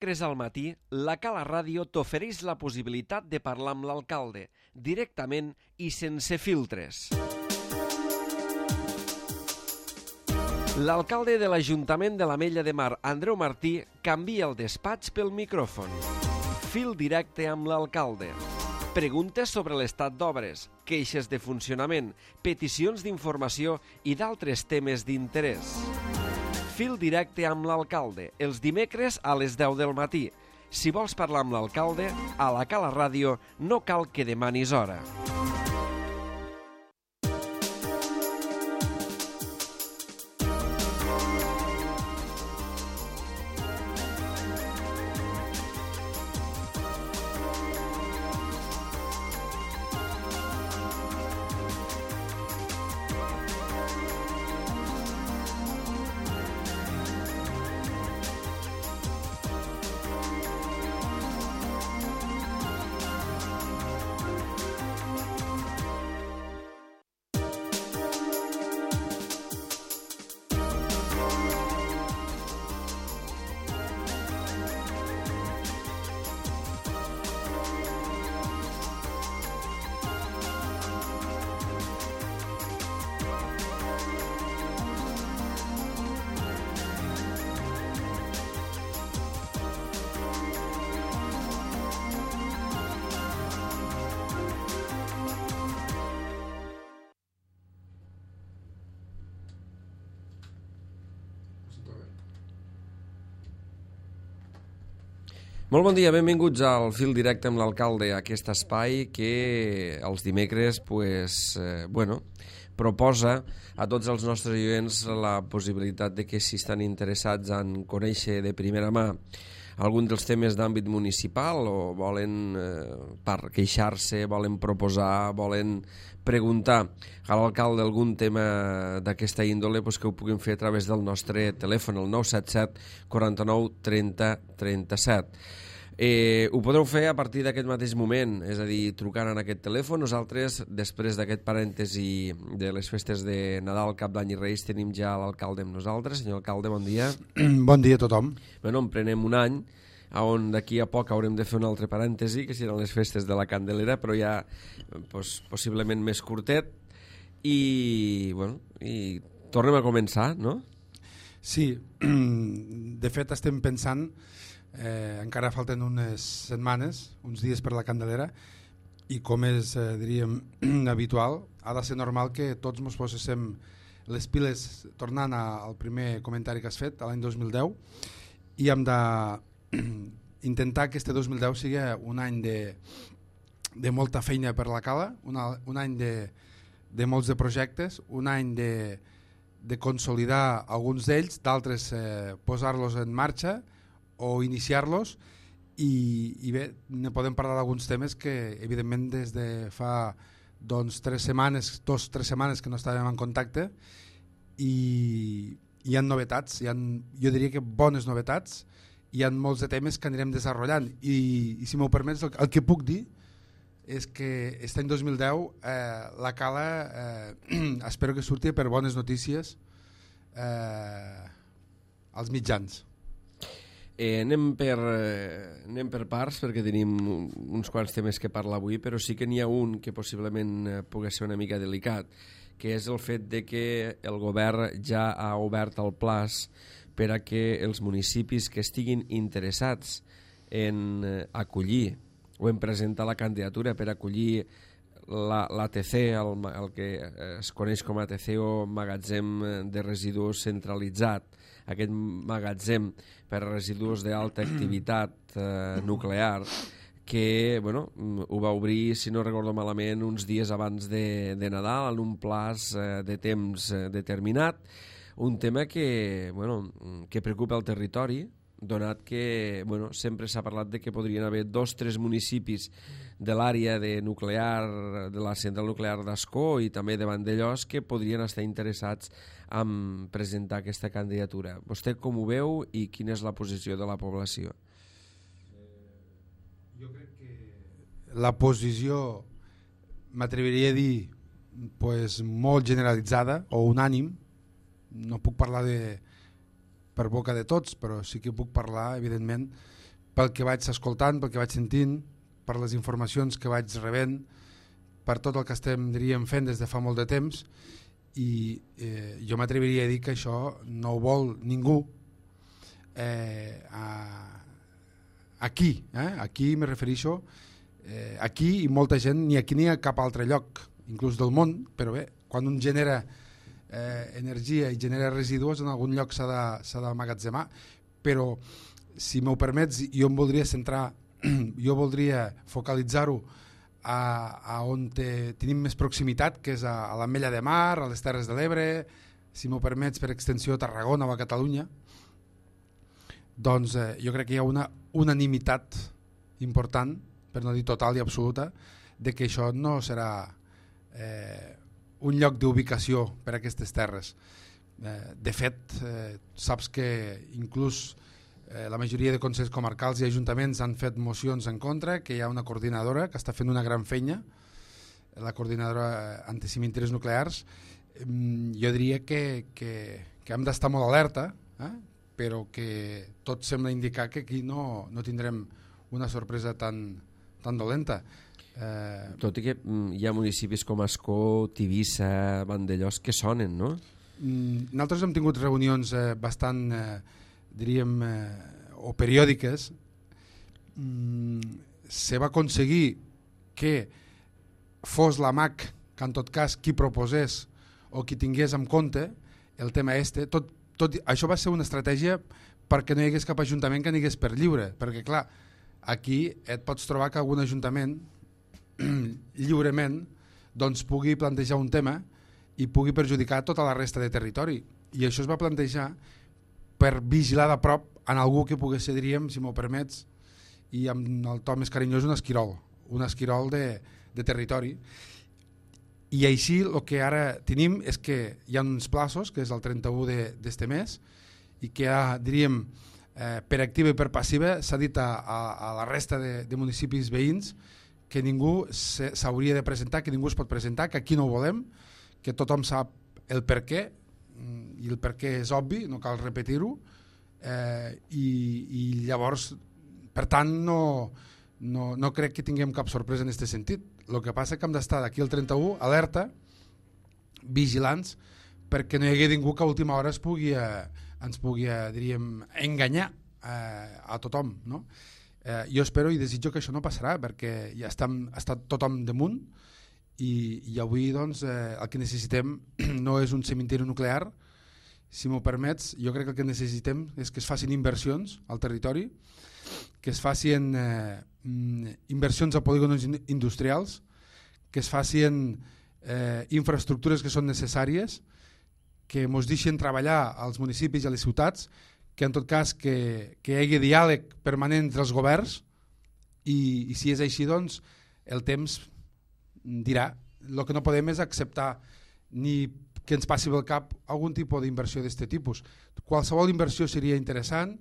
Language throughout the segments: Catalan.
Dimecres al matí, la Cala Ràdio t'ofereix la possibilitat de parlar amb l'alcalde, directament i sense filtres. L'alcalde de l'Ajuntament de l'Ametlla de Mar, Andreu Martí, canvia el despatx pel micròfon. Fil directe amb l'alcalde. Preguntes sobre l'estat d'obres, queixes de funcionament, peticions d'informació i d'altres temes d'interès. Fil directe amb l'alcalde, els dimecres a les 10 del matí. Si vols parlar amb l'alcalde, a la Cala Ràdio no cal que demanis hora. Molt bon dia, benvinguts al Fil Directe amb l'alcalde, aquest espai que els dimecres proposa a tots els nostres oients la possibilitat de que si estan interessats en conèixer de primera mà algun dels temes d'àmbit municipal o volen queixar-se, volen proposar, volen preguntar a l'alcalde algun tema d'aquesta índole, que ho puguin fer a través del nostre telèfon, el 977 49 30 37. Ho podreu fer a partir d'aquest mateix moment, és a dir, trucant en aquest telèfon. Nosaltres, després d'aquest parèntesi de les festes de Nadal, Cap d'Any i Reis, tenim ja l'alcalde amb nosaltres. Senyor alcalde, bon dia. Bon dia a tothom. En prenem un any, on d'aquí a poc haurem de fer un altre parèntesi, que seran les festes de la Candelera, però ja possiblement més curtet. I tornem a començar, no? Sí, de fet estem pensant, encara falten unes setmanes, uns dies per la Candelera, i com és, diríem, habitual, ha de ser normal que tots ens poséssim les piles tornant al primer comentari que has fet, l'any 2010, i hem d'intentar que este 2010 sigui un any de molta feina per la Cala, un any de molts de projectes, un any de consolidar alguns d'ells, d'altres posar-los en marxa o iniciar-los, i bé, ne podem parlar d'alguns temes que evidentment des de fa 2 o 3 setmanes que no estàvem en contacte, i hi ha novetats, jo diria que bones novetats, hi ha molts de temes que anirem desenvolupant, i si m'ho permets, el que puc dir és que aquest any 2010 la Cala espero que surti per bones notícies als mitjans. Anem per parts, perquè tenim uns quants temes que parlar avui, però sí que n'hi ha un que possiblement pugui ser una mica delicat, que és el fet de que el govern ja ha obert el plaç per a que els municipis que estiguin interessats en acollir o en presentar la candidatura per acollir l'ATC, el que es coneix com a ATC o magatzem de residus centralitzat, aquest magatzem per a residus d'alta activitat nuclear, que ho va obrir, si no recordo malament, uns dies abans de Nadal, en un plaç de temps determinat, un tema que preocupa el territori, donat que sempre s'ha parlat de que podrien haver 2 o 3 municipis de l'àrea de la central nuclear d'Ascó i també de Vandellòs que podrien estar interessats en presentar aquesta candidatura. Vostè com ho veu i quina és la posició de la població? Jo crec que la posició, m'atreviria a dir, molt generalitzada o unànim, no puc parlar per boca de tots, però sí que puc parlar, evidentment, pel que vaig escoltant, pel que vaig sentint, per les informacions que vaig rebent, per tot el que estem, diríem, fent des de fa molt de temps, i jo m'atreviria a dir que això no ho vol ningú aquí, aquí me refereixo, aquí i molta gent, ni aquí ni a cap altre lloc, inclús del món, però bé, quan un genera energia i genera residus, en algun lloc s'ha d'emmagatzemar, però si m'ho permets, jo em voldria centrar, jo voldria focalitzar-ho a on tenim més proximitat, que és a l'Ametlla de Mar, a les Terres de l'Ebre, si m'ho permets, per extensió a Tarragona o a Catalunya. Doncs jo crec que hi ha una unanimitat important, per no dir total i absoluta, de que això no serà un lloc d'ubicació per a aquestes terres. De fet, saps que inclús la majoria de consells comarcals i ajuntaments han fet mocions en contra, que hi ha una coordinadora que està fent una gran feina, la coordinadora anticimentiris nuclears. Jo diria que hem d'estar molt alerta, però que tot sembla indicar que aquí no tindrem una sorpresa tan dolenta. Tot i que hi ha municipis com Ascó, Tivissa, Vandellòs que sonen, no? Nosaltres hem tingut reunions bastant, diríem, o periòdiques. Se va aconseguir que fos la MAC, que en tot cas qui proposés o qui tingués en compte el tema això va ser una estratègia perquè no hi hagués cap ajuntament que n'hagués per lliure, perquè clar, aquí et pots trobar que algun ajuntament lliurement doncs pugui plantejar un tema i pugui perjudicar tota la resta de territori, i això es va plantejar per vigilar de prop en algú que pogués ser, diríem, si m'ho permets, i amb el to més carinyós, un esquirol de territori. I així el que ara tenim és que hi ha uns plaços, que és el 31 d'este mes, i que ja, diríem, per activa i per passiva s'ha dit a la resta de municipis veïns que ningú s'hauria de presentar, que ningú es pot presentar, que aquí no ho volem, que tothom sap el per què, i el per què és obvi, no cal repetir-ho, i llavors, per tant, no crec que tinguem cap sorpresa en aquest sentit. El que passa és que hem d'estar d'aquí al 31 alerta, vigilants, perquè no hi hagi ningú que a última hora ens pugui diríem, enganyar a tothom, no? Jo espero i desitjo que això no passarà, perquè ja està tothom damunt, i avui doncs, el que necessitem no és un cementiri nuclear. Si m'ho permets, jo crec que el que necessitem és que es facin inversions al territori, que es facin inversions a polígons industrials, que es facin infraestructures que són necessàries, que ens deixin treballar als municipis i a les ciutats, que en tot cas que hi hagi diàleg permanent entre els governs, i si és així, doncs el temps dirà. El que no podem és acceptar ni que ens passi pel cap algun tipus d'inversió d'aquest tipus. Qualsevol inversió seria interessant,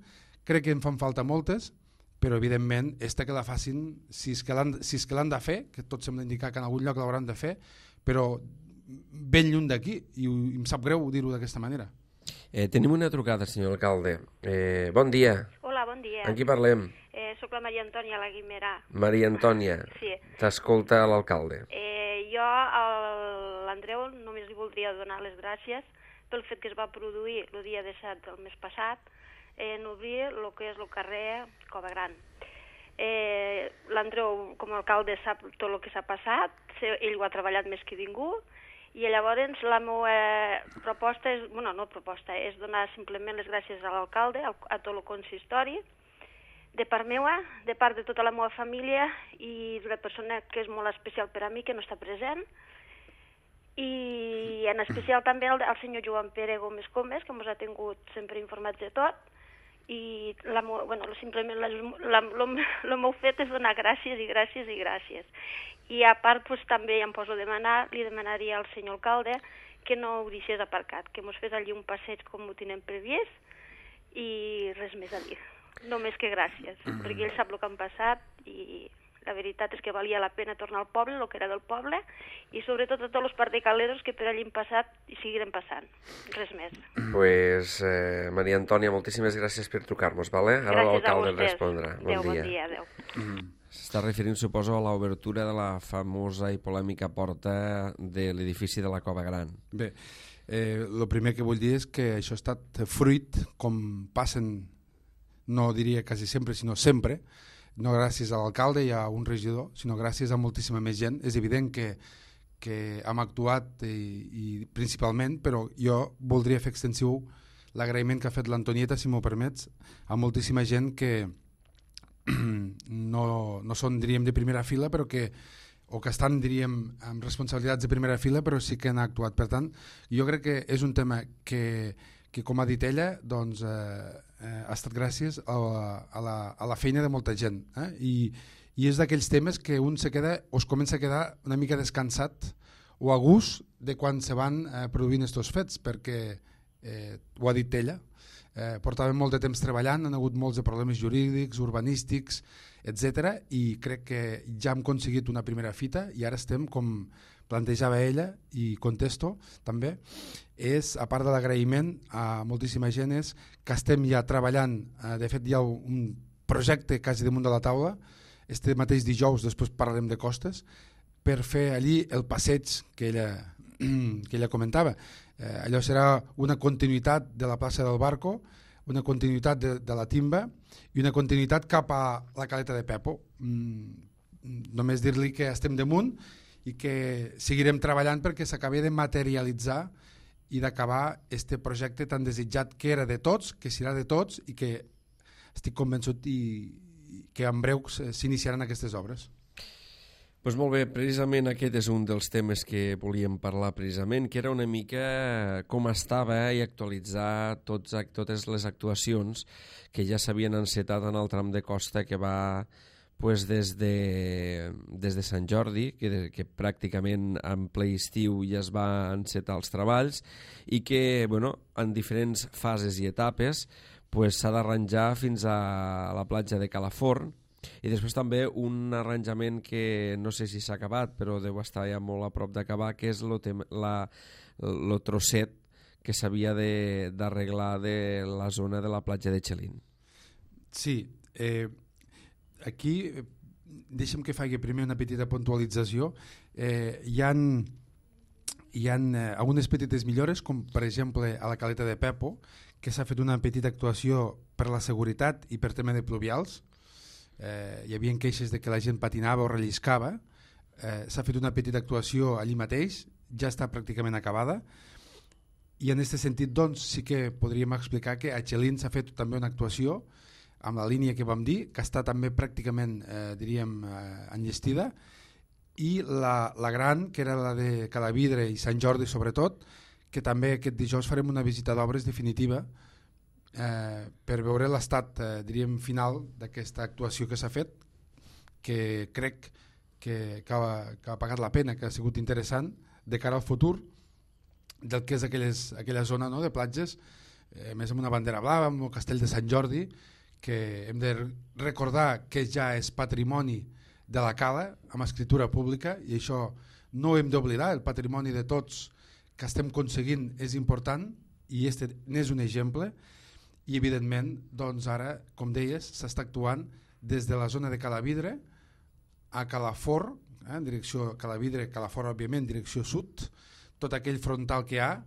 crec que en fan falta moltes, però evidentment que la facin, si és que l'han de fer, que tot sembla indicar que en algun lloc l'hauran de fer, però ben lluny d'aquí, i em sap greu dir-ho d'aquesta manera. Tenim una trucada, senyor alcalde. Bon dia. Hola, bon dia. Amb qui parlem? Soc la Maria Antònia La Guimerà. Maria Antònia. Sí. T'escolta l'alcalde. Jo a l'Andreu només li voldria donar les gràcies pel fet que es va produir el dia 17 del mes passat en obrir el que és el carrer Cova Gran. L'Andreu, com a alcalde, sap tot el que s'ha passat, ell ho ha treballat més que ningú, i llavors la meva proposta és, és donar simplement les gràcies a l'alcalde, a tot el consistori, de part meva, de part de tota la meva família i d'una persona que és molt especial per a mi, que no està present, i en especial també al senyor Joan Pere Gómez Comes, que ens ha tingut sempre informats de tot, i simplement el meu fet és donar gràcies i gràcies i gràcies. I a part també em poso a demanar, li demanaria al senyor alcalde que no ho deixés aparcat, que ens fes allí un passeig com ho tenim previst, i res més a dir. Només que gràcies, perquè ell sap el que han passat i La veritat és que valia la pena tornar al poble, el que era del poble, i sobretot a tots els partecaleros que per allí han passat i seguirem passant. Res més. Pues, Maria Antònia, moltíssimes gràcies per trucar-nos, vale? Ara l'alcalde et respondrà. Adéu, bon dia, adéu. S'està referint, suposo, a l'obertura de la famosa i polèmica porta de l'edifici de la Cova Gran. Bé, el primer que vull dir és que això ha estat fruit, com passen, no diria quasi sempre, sinó sempre, no gràcies a l'alcalde i a un regidor, sinó gràcies a moltíssima més gent. És evident que hem actuat i principalment, però jo voldria fer extensiu l'agraïment que ha fet l'Antonieta, si m'ho permets, a moltíssima gent que no són, diríem, de primera fila, però o que estan, diríem, amb responsabilitats de primera fila, però sí que han actuat. Per tant, jo crec que és un tema que com ha dit ella, doncs, ha estat gràcies a la feina de molta gent. I és d'aquells temes que un es comença a quedar una mica descansat o a gust de quan se van produint aquests fets, perquè, ho ha dit ella, portàvem molt de temps treballant, han hagut molts de problemes jurídics, urbanístics, etc. I crec que ja hem aconseguit una primera fita i ara estem, com plantejava ella, i contesto també, és, a part de l'agraïment a moltíssima gent, és que estem ja treballant, de fet hi ha un projecte quasi damunt de la taula, este mateix dijous, després parlarem de costes, per fer allí el passeig que ella comentava. Allò serà una continuïtat de la plaça del Barco, una continuïtat de la Timba i una continuïtat cap a la Caleta de Pepo. Només dir-li que estem damunt i que seguirem treballant perquè s'acabi de materialitzar i d'acabar este projecte tan desitjat que era de tots, que serà de tots i que estic convençut que en breu s'iniciaran aquestes obres. Doncs molt bé, precisament aquest és un dels temes que volíem parlar precisament, que era una mica com estava i actualitzar totes les actuacions que ja s'havien encetat en el tram de costa que va des de Sant Jordi, que pràcticament en ple estiu ja es va encetar els treballs i que en diferents fases i etapes s'ha d'arranjar fins a la platja de Calaforn. I després també un arranjament que no sé si s'ha acabat, però deu estar ja molt a prop d'acabar, que és el trosset que s'havia d'arreglar de la zona de la platja de Xelin. Sí, aquí deixa'm que faci primer una petita puntualització. Hi ha algunes petites millores, com per exemple a la Caleta de Pepo, que s'ha fet una petita actuació per la seguretat i per tema de pluvials. Hi havia queixes de que la gent patinava o relliscava. S'ha fet una petita actuació allí mateix, ja està pràcticament acabada, i en aquest sentit doncs, sí que podríem explicar que a Xelin s'ha fet també una actuació amb la línia que vam dir, que està també pràcticament enllestida, i la gran, que era la de Calavidre i Sant Jordi sobretot, que també aquest dijous farem una visita d'obres definitiva per veure l'estat final d'aquesta actuació que s'ha fet, que crec que ha pagat la pena, que ha sigut interessant de cara al futur del que és aquella zona de platges, més amb una bandera blava, amb el castell de Sant Jordi, que hem de recordar que ja és patrimoni de la Cala amb escritura pública, i això no ho hem d'oblidar. El patrimoni de tots que estem aconseguint és important i este n'és un exemple. I evidentment, doncs ara, com deies, s'està actuant des de la zona de Calavidre a Calafort, en direcció Calavidre, Calafort, òbviament, direcció sud, tot aquell frontal que hi ha,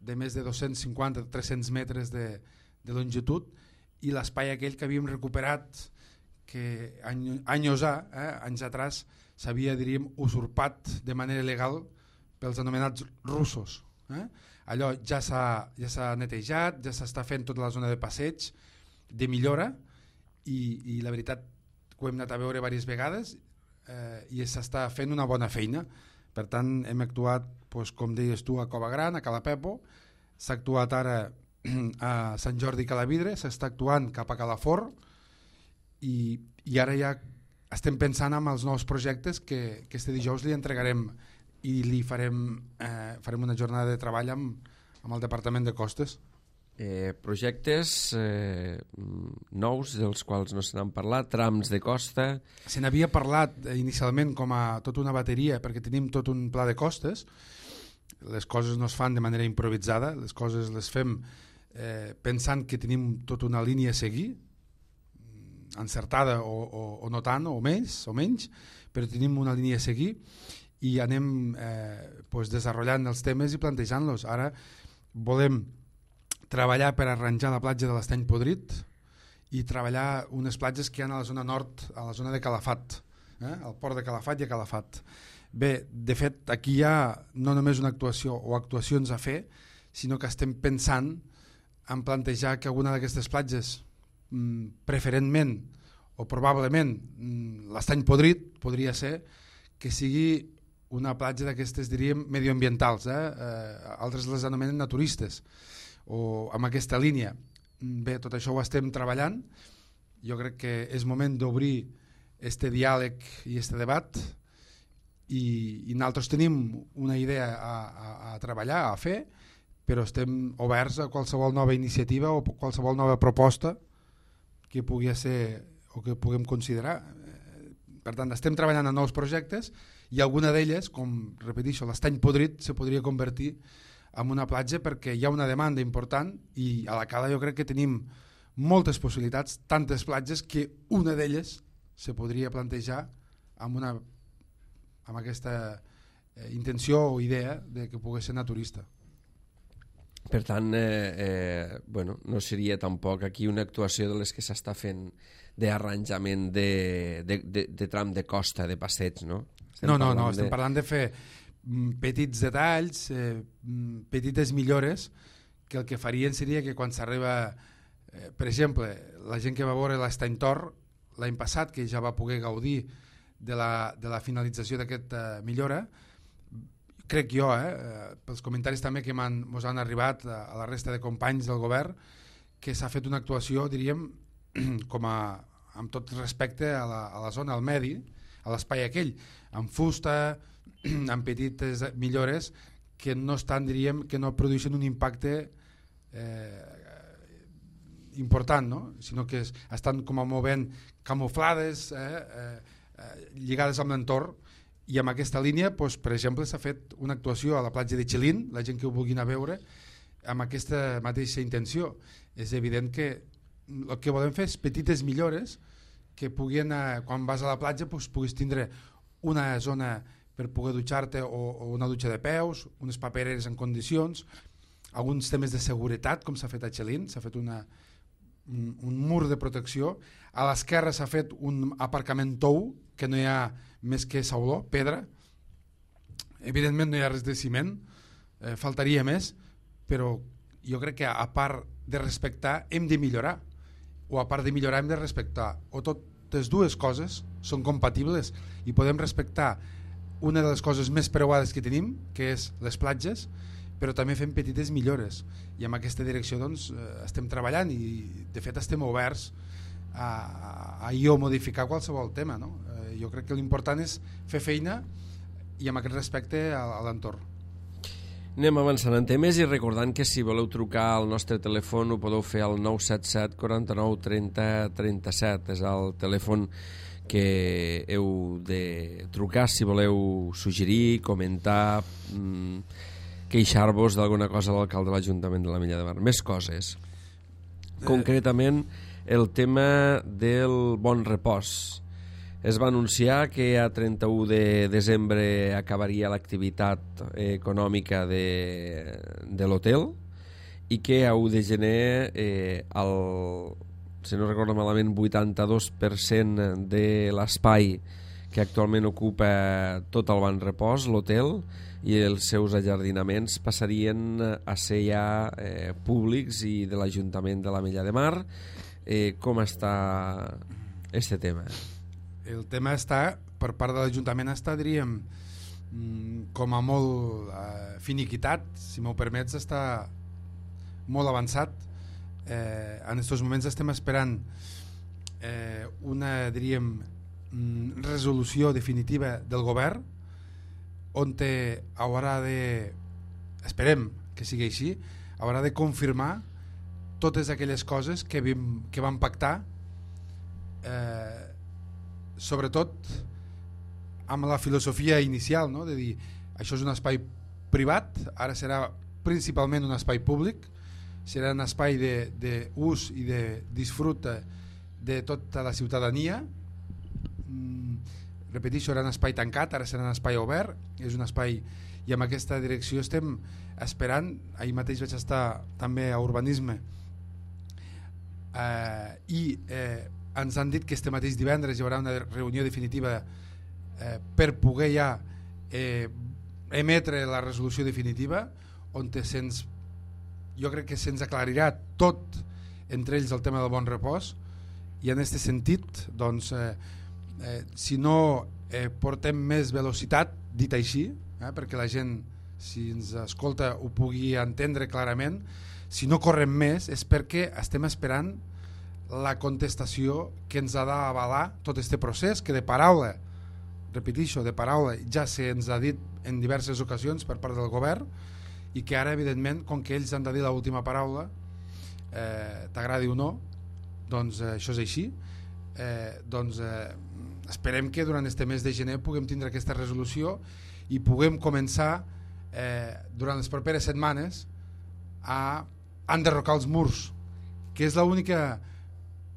de més de 250-300 metres de longitud, i l'espai aquell que havíem recuperat, que anys atrás s'havia, diríem, usurpat de manera legal pels anomenats russos. Allò ja s'ha netejat, ja s'està fent tota la zona de passeig, de millora, i la veritat que ho hem anat a veure diverses vegades i s'està fent una bona feina. Per tant, hem actuat, com deies tu, a Cova Gran, a Cala Pepo, s'ha actuat ara a Sant Jordi i Calavidre, s'està actuant cap a Calafort, i ara ja estem pensant en els nous projectes que este dijous li entregarem i li farem una jornada de treball amb el Departament de Costes. Projectes nous dels quals no se n'han parlat, trams de costa. Se n'havia parlat inicialment com a tota una bateria, perquè tenim tot un pla de costes. Les coses no es fan de manera improvisada, les coses les fem pensant que tenim tota una línia a seguir, encertada o no tant, o menys, però tenim una línia a seguir i anem desenvolupant els temes i plantejant-los. Ara volem treballar per arranjar la platja de l'Estany Podrit i treballar unes platges que hi ha a la zona nord, a la zona de Calafat, al port de Calafat i a Calafat. Bé, de fet, aquí hi ha no només una actuació o actuacions a fer, sinó que estem pensant en plantejar que alguna d'aquestes platges, preferentment o probablement l'Estany Podrit, podria ser que sigui una platja d'aquestes, diríem, medioambientals, altres les anomenen naturistes, o amb aquesta línia. Bé, tot això ho estem treballant. Jo crec que és moment d'obrir este diàleg i este debat i nosaltres tenim una idea a treballar, a fer, però estem oberts a qualsevol nova iniciativa o qualsevol nova proposta que pugui ser o que puguem considerar. Per tant, estem treballant en nous projectes i alguna d'elles, com repeteixo, l'Estany Podrit se podria convertir en una platja perquè hi ha una demanda important i a la Cala jo crec que tenim moltes possibilitats, tantes platges que una d'elles se podria plantejar amb aquesta intenció o idea de que pugui ser naturista. Per tant, no seria tampoc aquí una actuació de les que s'està fent d'arranjament de tram de costa, de passeig, no? Estem parlant de fer petits detalls, petites millores que el que farien seria que quan s'arriba, per exemple, la gent que va veure l'Estany Tor l'any passat, que ja va poder gaudir de la finalització d'aquesta millora, crec jo, pels comentaris també que ens han arribat a la resta de companys del govern, que s'ha fet una actuació, diríem, amb tot respecte a la zona, al medi, a l'espai aquell, amb fusta, amb petites millores que no estan, diríem, que no produeixen un impacte important, no? Sinó que estan com a movent camuflades, lligades amb l'entorn, i amb aquesta línia, per exemple, s'ha fet una actuació a la platja de Xilín, la gent que ho vulgui anar a veure, amb aquesta mateixa intenció. És evident que el que volem fer és petites millores que puguin, quan vas a la platja, puguis tindre una zona per poder dutxar-te o una dutxa de peus, unes papereres en condicions, alguns temes de seguretat, com s'ha fet a Xilín, s'ha fet un mur de protecció. A l'esquerra s'ha fet un aparcament tou, que no hi ha més que sauló, pedra. Evidentment no hi ha res de ciment, faltaria més, però jo crec que a part de respectar hem de millorar, o a part de millorar hem de respectar, o totes dues coses són compatibles i podem respectar una de les coses més preuades que tenim, que és les platges, però també fem petites millores i en aquesta direcció doncs, estem treballant i de fet estem oberts a modificar qualsevol tema, no? Jo crec que l'important és fer feina i amb aquest respecte a l'entorn. Anem avançant en temes i recordant que si voleu trucar al nostre telèfon ho podeu fer al 977 49 30 37, és el telèfon que heu de trucar si voleu suggerir, comentar, queixar-vos d'alguna cosa a l'alcalde de l'Ajuntament de la Mella de Mar. Més coses. Concretament, el tema del bon repòs. Es va anunciar que a 31 de desembre acabaria l'activitat econòmica de l'hotel i que a 1 de gener si no recordo malament 82% de l'espai que actualment ocupa tot el Ban Repòs, l'hotel i els seus ajardinaments passarien a ser ja públics i de l'Ajuntament de la Mella de Mar. Com està este tema? El tema està, per part de l'Ajuntament està, diríem, com a molt finiquitat, si m'ho permets, està molt avançat. En aquests moments estem esperant una, diríem, resolució definitiva del govern on haurà de, esperem que sigui així, haurà de confirmar totes aquelles coses que vam pactar, sobretot amb la filosofia inicial, no? De dir, això és un espai privat, ara serà principalment un espai públic, serà un espai d'ús i de disfrute de tota la ciutadania. Repeteixo, era un espai tancat, ara serà un espai obert, és un espai, i amb aquesta direcció estem esperant. Ahir mateix vaig estar també a Urbanisme i ens han dit que este mateix divendres hi haurà una reunió definitiva per poder ja emetre la resolució definitiva, on jo crec que se'ns aclarirà tot, entre ells el tema del bon repòs, i en aquest sentit, doncs, si no portem més velocitat, dit així, perquè la gent, si ens escolta, ho pugui entendre clarament, si no correm més és perquè estem esperant la contestació que ens ha d'avalar tot aquest procés, que de paraula, repeteixo, de paraula, ja se'ns ha dit en diverses ocasions per part del govern, i que ara, evidentment, com que ells han de dir l'última paraula, t'agradi o no, doncs això és així, doncs esperem que durant este mes de gener puguem tindre aquesta resolució i puguem començar durant les properes setmanes a enderrocar els murs, que és l'única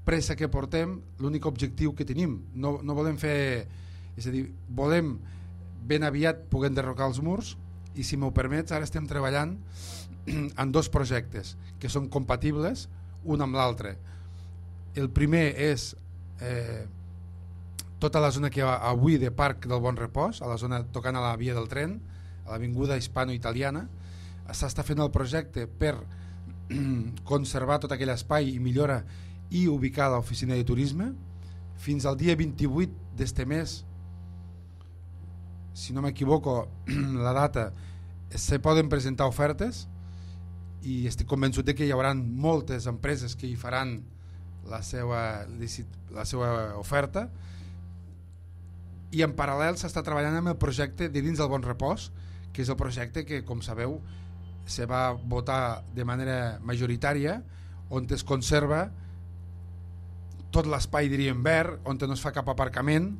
pressa que portem, l'únic objectiu que tenim. No volem fer, és a dir, volem ben aviat poder enderrocar els murs, i si m'ho permets, ara estem treballant en 2 projectes que són compatibles un amb l'altre. El primer és tota la zona que hi ha avui de Parc del Bon Repòs, a la zona tocant a la via del tren, a l'avinguda hispano-italiana. S'està fent el projecte per conservar tot aquell espai i millora i ubicar l'oficina de turisme. Fins al dia 28 d'este mes, si no m'equivoco la data, se poden presentar ofertes i estic convençut que hi haurà moltes empreses que hi faran la seva oferta, i en paral·lel s'està treballant amb el projecte de dins del Bon Repòs, que és el projecte que, com sabeu, se va votar de manera majoritària, on es conserva tot l'espai, diríem, verd, on no es fa cap aparcament,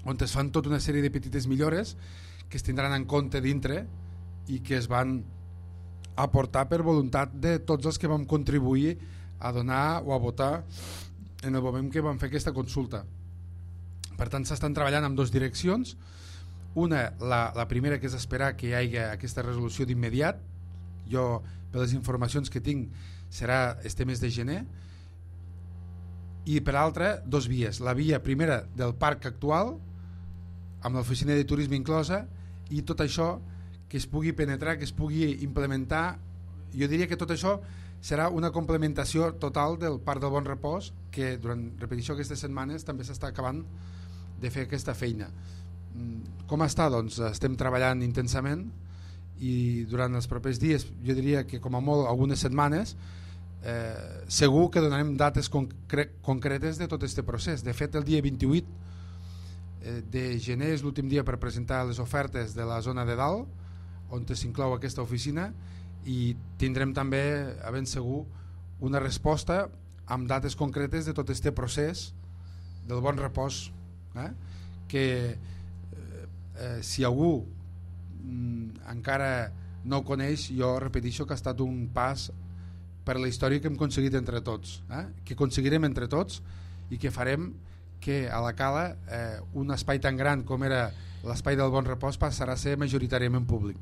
on es fan tota una sèrie de petites millores que es tindran en compte dintre i que es van aportar per voluntat de tots els que vam contribuir a donar o a votar en el moment que vam fer aquesta consulta. Per tant, s'estan treballant en 2 direccions. Una, la primera, que és esperar que hi hagi aquesta resolució d'immediat. Jo, per les informacions que tinc, serà este mes de gener. I per l'altra, 2 vies. La via primera del parc actual, amb l'oficina de turisme inclosa, i tot això que es pugui penetrar, que es pugui implementar. Jo diria que tot això serà una complementació total del Parc del Bon Repòs, que durant, repetició, aquestes setmanes també s'està acabant de fer aquesta feina. Com està? Doncs estem treballant intensament i durant els propers dies, jo diria que com a molt algunes setmanes, segur que donarem dates concretes de tot aquest procés. De fet, el dia 28 de gener és l'últim dia per presentar les ofertes de la zona de dalt, on s'inclou aquesta oficina, i tindrem també, a ben segur, una resposta amb dates concretes de tot aquest procés del Bon Repòs, que si algú encara no ho coneix, jo repeteixo que ha estat un pas per la història que hem aconseguit entre tots, que aconseguirem entre tots, i que farem que a la Cala un espai tan gran com era l'espai del Bon Repòs passarà a ser majoritàriament públic.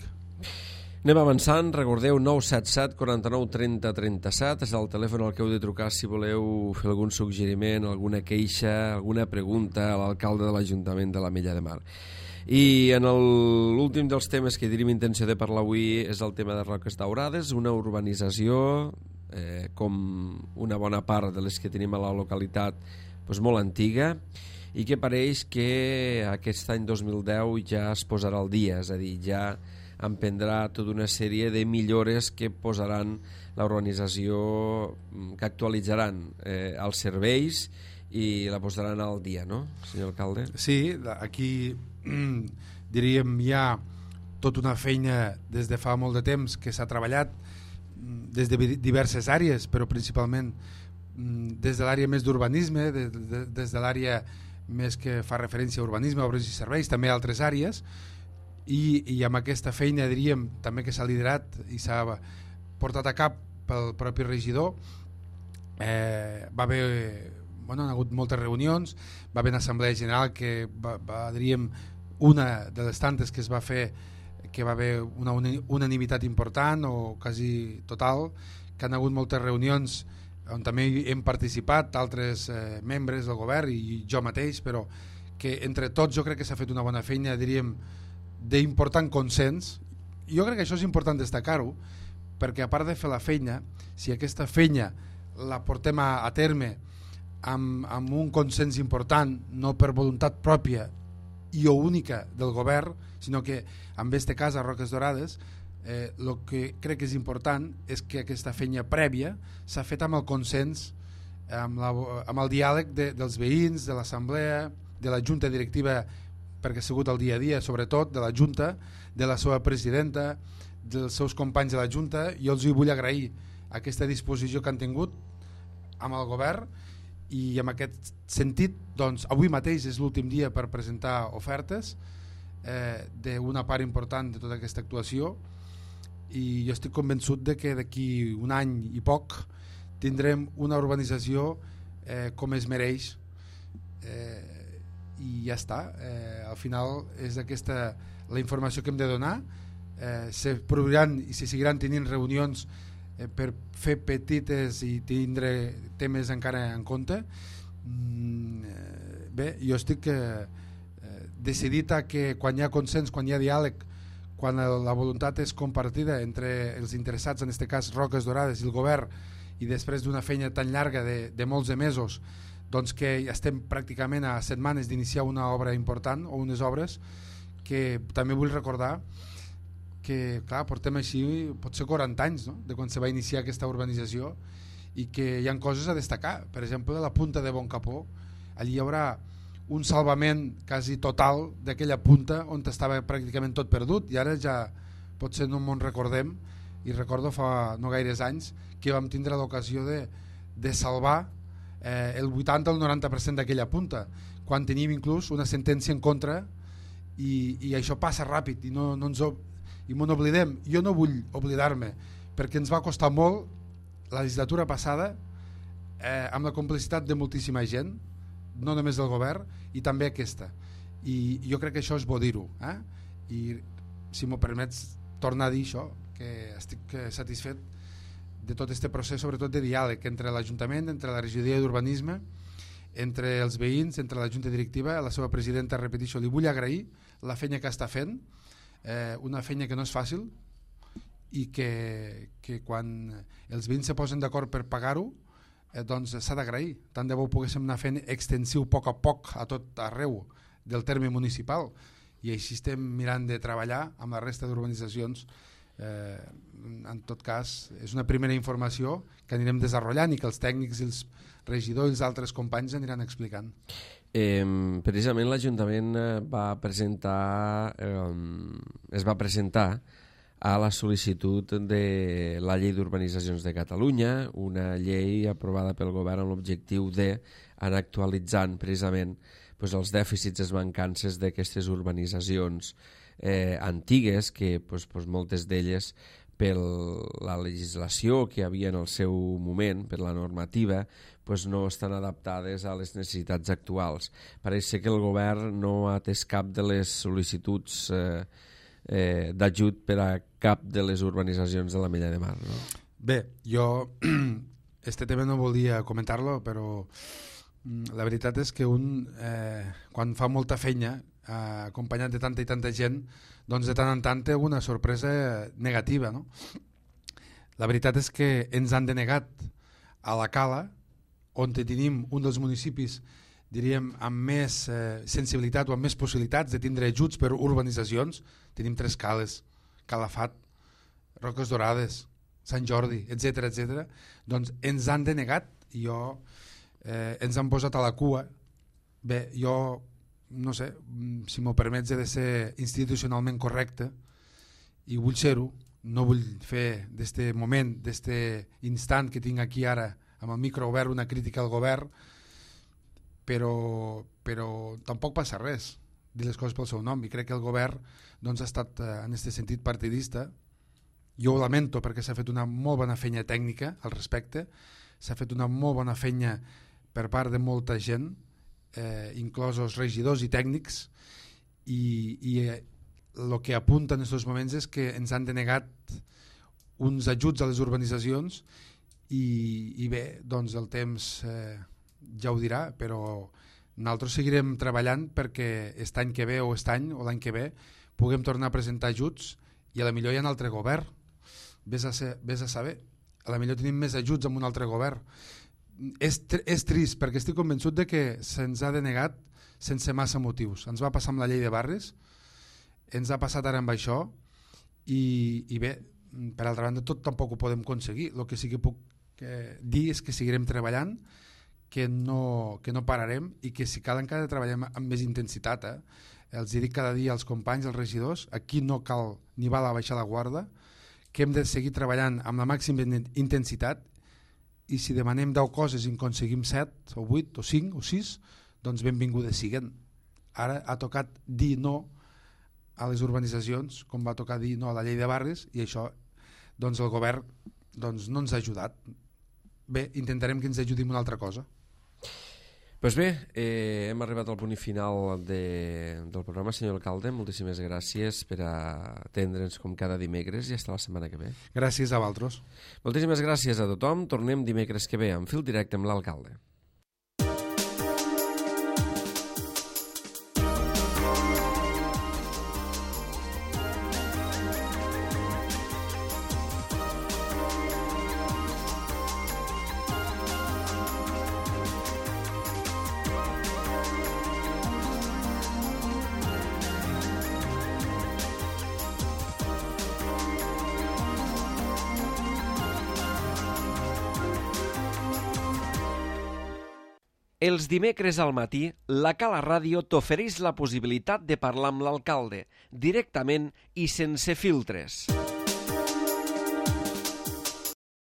Anem avançant. Recordeu, 977 49 30 37 és el telèfon al que heu de trucar si voleu fer algun suggeriment, alguna queixa, alguna pregunta a l'alcalde de l'Ajuntament de l'Ametlla de Mar. I en l'últim dels temes que tenim intenció de parlar avui és el tema de Roques Daurades, una urbanització com una bona part de les que tenim a la localitat, molt antiga, i que pareix que aquest any 2010 ja es posarà al dia, és a dir, ja emprendrà tota una sèrie de millores que posaran la urbanització, que actualitzaran els serveis i la posaran al dia, no, senyor alcalde? Sí, aquí diríem hi ha tota una feina des de fa molt de temps que s'ha treballat. des de diverses àrees, però principalment des de l'àrea més d'urbanisme, des de l'àrea més que fa referència a urbanisme, obres i serveis, també altres àrees, i amb aquesta feina diríem també que s'ha liderat i s'ha portat a cap pel propi regidor. Va haver, bueno, han hagut moltes reunions, va haver una assemblea general que diríem una de les tantes que es va fer, que va haver una unanimitat important o quasi total, que han hagut moltes reunions on també hem participat altres membres del govern i jo mateix, però que entre tots jo crec que s'ha fet una bona feina, diríem, d'important consens. Jo crec que això és important destacar-ho, perquè a part de fer la feina, si aquesta feina la portem a terme amb un consens important, no per voluntat pròpia i o única del govern, sinó que en este cas a Roques Dorades el que crec que és important és que aquesta feina prèvia s'ha fet amb el consens, amb el diàleg dels veïns, de l'assemblea, de la junta directiva, perquè ha sigut el dia a dia, sobretot de la junta, de la seva presidenta, dels seus companys de la junta. Jo els vull agrair aquesta disposició que han tingut amb el govern, i en aquest sentit doncs, avui mateix és l'últim dia per presentar ofertes d'una part important de tota aquesta actuació, i jo estic convençut de que d'aquí un any i poc tindrem una urbanització com es mereix, i ja està. Al final és aquesta la informació que hem de donar. Se produiran i se seguiran tenint reunions per fer petites i tindre temes encara en compte. Bé, jo estic decidit a que quan hi ha consens, quan hi ha diàleg, quan la voluntat és compartida entre els interessats, en aquest cas Roques Dorades i el govern, i després d'una feina tan llarga de molts de mesos, doncs que estem pràcticament a setmanes d'iniciar una obra important o unes obres, que també vull recordar que clar, portem així potser 40 anys, no?, de quan se va iniciar aquesta urbanització, i que hi ha coses a destacar. Per exemple, la punta de Boncapó, allí hi haurà un salvament quasi total d'aquella punta on estava pràcticament tot perdut, i ara ja potser no m'ho recordem, i recordo fa no gaires anys que vam tindre l'ocasió de salvar el 80 o el 90% d'aquella punta, quan tenim inclús una sentència en contra, i això passa ràpid i no n'oblidem. Jo no vull oblidar-me, perquè ens va costar molt la legislatura passada, amb la complicitat de moltíssima gent, no només del govern, i també aquesta, i jo crec que això és bo dir-ho, i si m'ho permets tornar a dir això, que estic satisfet de tot aquest procés, sobretot de diàleg entre l'Ajuntament, entre la regidoria d'urbanisme, entre els veïns, entre la junta directiva. A la seva presidenta, repeteixo, li vull agrair la feina que està fent, una feina que no és fàcil, i que quan els veïns se posen d'acord per pagar-ho, doncs s'ha d'agrair. Tant de bo poguéssim anar fent extensiu a poc a tot arreu del terme municipal, i així estem mirant de treballar amb la resta d'urbanitzacions. En tot cas, és una primera informació que anirem desenvolupant i que els tècnics, els regidors i els altres companys aniran explicant. Precisament l'Ajuntament es va presentar a la sol·licitud de la Llei d'Urbanitzacions de Catalunya, una llei aprovada pel govern amb l'objectiu d'anar actualitzant precisament els dèficits, les mancances d'aquestes urbanitzacions antigues, que moltes d'elles, per la legislació que hi havia en el seu moment, per la normativa, no estan adaptades a les necessitats actuals. Pareix que el govern no ha atès cap de les sol·licituds d'ajut per a cap de les urbanitzacions de la Mella de Mar, no? Bé, jo este tema no volia comentar-lo, però la veritat és que quan fa molta feina acompanyat de tanta i tanta gent, doncs de tant en tant té una sorpresa negativa, no? La veritat és que ens han denegat a la Cala, on tenim un dels municipis, diríem, amb més sensibilitat o amb més possibilitats de tindre ajuts per urbanitzacions. Tenim 3 cales: Calafat, Roques Dorades, Sant Jordi, etc. Doncs ens han denegat i ens han posat a la cua. Bé, jo no sé, si m'ho permets, he de ser institucionalment correcte, i vull ser-ho, no vull fer d'este moment, d'este instant que tinc aquí ara amb el micro obert, una crítica al govern, però tampoc passa res, dir les coses pel seu nom, i crec que el govern doncs, ha estat en aquest sentit partidista. Jo ho lamento perquè s'ha fet una molt bona feina tècnica al respecte, s'ha fet una molt bona feina per part de molta gent, inclosos regidors i tècnics, i el que apunta en aquests moments és que ens han denegat uns ajuts a les urbanitzacions i bé, doncs el temps ja ho dirà, però nosaltres seguirem treballant perquè aquest any que ve o aquest any o l'any que ve puguem tornar a presentar ajuts i a la millor hi ha un altre govern. Vés a saber, a la millor tenim més ajuts amb un altre govern. És trist perquè estic convençut de que se'ns ha denegat sense massa motius. Ens va passar amb la llei de barris, ens ha passat ara amb això i bé, per altra banda tot tampoc ho podem aconseguir. El que sí que puc dir és que seguirem treballant, que no pararem i que si cal encara treballem amb més intensitat. Els dic cada dia als companys, als regidors, aquí no cal ni val a baixar la guarda, que hem de seguir treballant amb la màxima intensitat i si demanem 10 coses i en aconseguim 7 o 8 o 5 o 6, doncs benvingudes siguen. Ara ha tocat dir no a les urbanitzacions, com va tocar dir no a la llei de barris, i això doncs el govern doncs, no ens ha ajudat. Bé, intentarem que ens ajudi amb una altra cosa. Doncs bé, hem arribat al punt final del programa, senyor alcalde. Moltíssimes gràcies per atendre'ns com cada dimecres i fins la setmana que ve. Gràcies a vosaltres. Moltíssimes gràcies a tothom. Tornem dimecres que ve en fil directe amb l'alcalde. Els dimecres al matí, la Cala Ràdio t'ofereix la possibilitat de parlar amb l'alcalde, directament i sense filtres.